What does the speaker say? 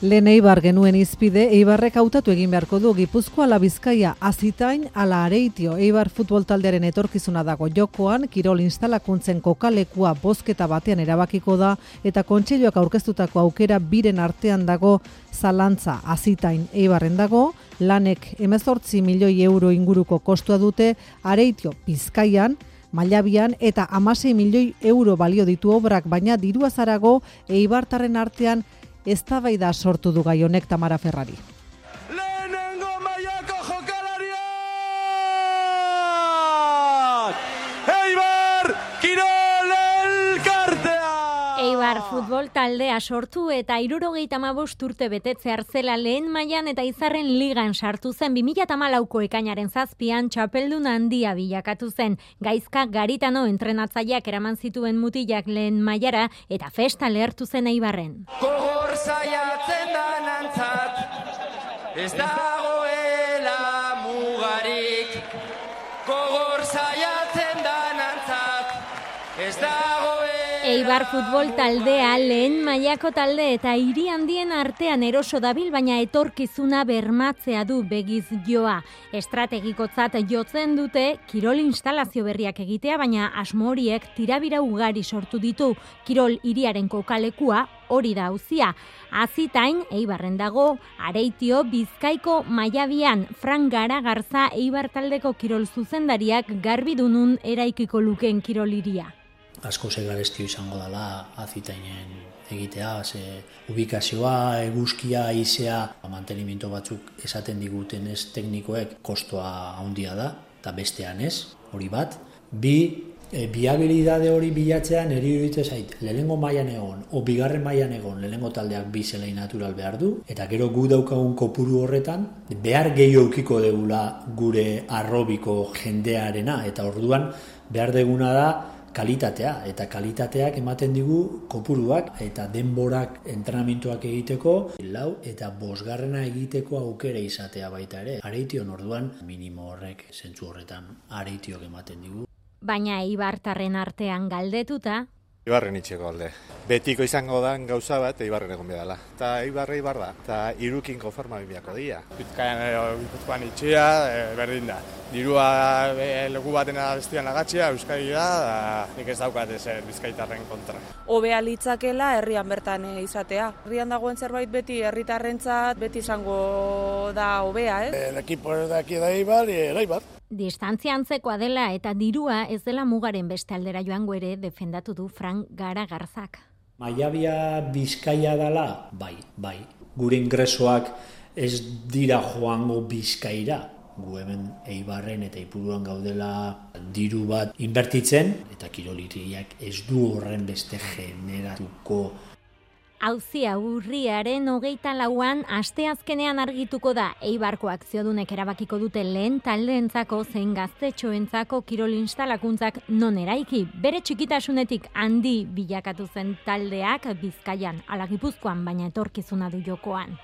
Lehen Eibar genuen izpide, Eibarrek hautatu egin beharko du Gipuzkoa ala Bizkaia, Azitain ala Areitio. Eibar futbol taldearen etorkizuna dago jokoan, kirol instalakuntzen kokalekua bozketa batean erabakiko da, eta kontseiluak aurkeztutako aukera biren artean dago zalantza. Azitain Eibarren dago, lanek 18 milioi euro inguruko kostua dute, Areitio Bizkaian, Mailabian eta 16 milioi euro balio ditu obrak, baina dirua zarago eibartarren artean eztabaida sortu du gai honek. Tamara Ferrari. Lehenengo mailako jokalariak! Eibar Kirol Elkartea! Eibar futbol taldea sortu eta 75 urte betetzear zela lehen mailan eta Izarren ligan sartu zen. 2014ko ekainaren 7an txapeldun handia bilakatu zen. Gaizka Garitano entrenatzaileak eraman zituen mutilak lehen mailara eta festa lehertu zen Eibarren. Gogor saiatzen da nantzat, ez dagoela mugarik. Gogor saiatzen da nantzat, ez dagoela. Eibar futbol taldea lehen mailako talde eta hiri handien artean eroso dabil, baina etorkizuna bermatzea du begiz joa. Estrategikotzat jotzen dute kirol instalazio berriak egitea, baina asmo horiek tirabira ugari sortu ditu. Kirol hiriaren kokalekua hori da auzia. Azitain Eibarren dago, Areitio Bizkaiko Mailabian. Frank Garagarza Eibar taldeko kirol zuzendariak garbi du nun eraikiko lukeen kirol hiria. Asko garestio izango dela Azitainen egitea, ze ubikazioa, eguzkia, haizea, mantenimiento batzuk esaten diguten ez teknikoek kostoa handia da, eta bestean ez, hori bat. Bi, viabilidade hori bilatzean eri iruditzen zait, lehenengo mailan egon, o bigarren mailan egon, lehenengo taldeak bi zelai natural behar du, eta gero gu daukagun kopuru horretan, behar gehiago eukiko degula gure arrobiko jendearena, eta orduan behar deguna da kalitatea, eta kalitateak ematen digu kopuruak eta denborak entrenamentuak egiteko, 4 eta 5 egiteko aukera izatea baita ere. Areition orduan minimo horrek zentzu horretan Areitiok ematen digu. Baina Eibartarren artean galdetuta, Eibarren itxeko alde. Betiko izango dan gauza bat Eibarren egon behar dela. Eta Eibar da. Eta irukin konforma biako dira. Bizkaian itxia, berdin da. Dirua leku batena bestian agatxia, Euskadi da, nik ez daukat ezer Bizkaitarren kontra. Hobea litzakela herrian bertan izatea. Herrian dagoen zerbait beti herritarrentzat beti izango da hobea, El equipo de aquí de Eibar y el Eibar. distantzia antzekoa dela eta dirua ez dela mugaren beste aldera joango ere defendatu du Frank Garagarzak. Mailabia Bizkaia dela? Bai. Gure ingresoak ez dira joango Bizkaira. Gu hemen Eibarren eta Ipuruan gaudela diru bat inbertitzen, eta kiroliriak ez du horren beste generatuko. Auzia urriaren 24an asteazkenean argituko da. Eibarko akziodunek erabakiko dute lehen taldeentzako zein gaztetxoentzako kirol instalakuntzak non eraiki. Bere txikitasunetik handi bilakatu zen taldeak Bizkaian ala Gipuzkoan, baina etorkizuna du jokoan.